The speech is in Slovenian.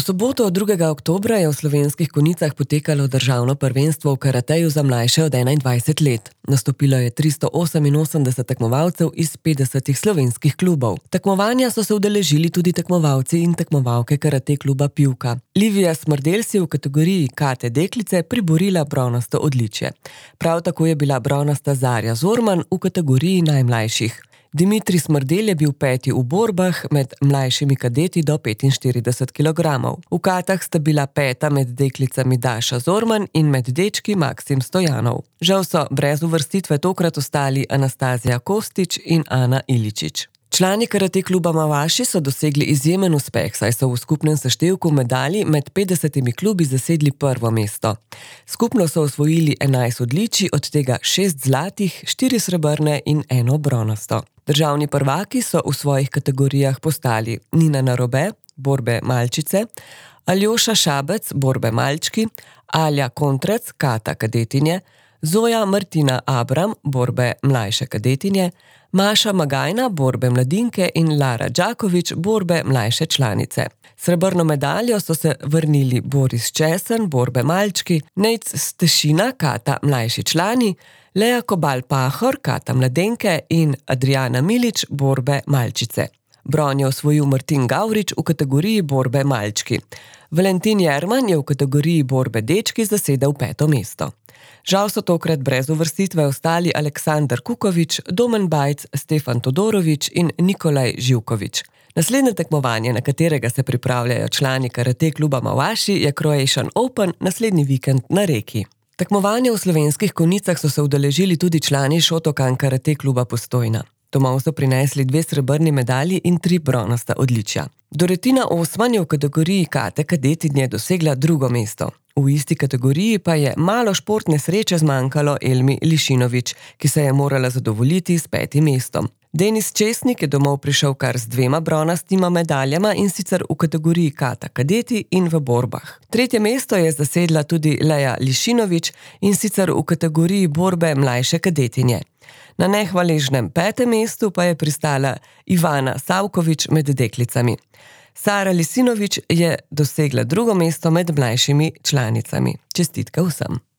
V soboto 2. oktobra je v Slovenskih Konjicah potekalo državno prvenstvo v karateju za mlajše od 21 let. Nastopilo je 388 tekmovalcev iz 50 slovenskih klubov. Tekmovanja so se udeležili tudi tekmovalci in tekmovalke karate kluba Pivka. Livija Smrdelj si je v kategoriji kate deklice priborila bronasto odličje. Prav tako je bila bronasta Zarja Zorman v kategoriji najmlajših. Dimitrij Smrdelj je bil peti v borbah med mlajšimi kadeti do 45 kg. V katah sta bila peta med deklicami Daša Zorman in med dečki Maksim Stojanov. Žal so brez uvrstitve tokrat ostali Anastazija Kostić in Ana Iličić. Člani karate kluba Mavaši so dosegli izjemen uspeh, saj so v skupnem seštevku medalj med 50 klubi zasedli prvo mesto. Skupno so osvojili 11 odličij, od tega 6 zlatih, 4 srebrne in 1 bronasto. Državni prvaki so v svojih kategorijah postali Nina Narobe, borbe malčice, Aljoša Šabec, borbe malčki, Alja Kontrec, kata kadetinje, Zoja Martina Abram, borbe mlajše kadetinje, Maša Magajna, borbe mladinke in Lara Đaković, borbe mlajše članice. Srebrno medaljo so se vrnili Boris Česen, borbe malčki, Nejc Stešina, kata mlajši člani, Lea Kobal-Pahor, kata mladenke in Adriana Milić, borbe malčice. Bron je osvojil Martin Gavrič v kategoriji borbe malčki. Valentin Jerman je v kategoriji borbe dečki zasedel 5. mesto. Žal so tokrat brez uvrstitve ostali Aleksandar Kukovič, Domen Bajc, Stefan Todorović in Nikolaj Živković. Naslednje tekmovanje, na katerega se pripravljajo člani karate kluba Mavaši, je Croatian Open naslednji vikend na Reki. Tekmovanja v Slovenskih Konjicah so se udeležili tudi člani Shotokan karate kluba Postojna. Domov so prinesli 2 srebrni medalji in 3 bronasta odličja. Dorotina Osman je v kategoriji kate kadetinje dosegla 2. mesto. V isti kategoriji pa je malo športne sreče zmanjkalo Elmi Lišinović, ki se je morala zadovoljiti s 5. mestom. Denis Česnik je domov prišel kar z 2 bronastima medaljama, in sicer v kategoriji kata kadeti in v borbah. 3. mesto je zasedla tudi Leja Lišinović, in sicer v kategoriji borbe mlajše kadetinje. Na nehvaležnem 5. mestu pa je pristala Ivana Savković med deklicami. Sara Lisinović je dosegla 2. mesto med mlajšimi članicami. Čestitke vsem.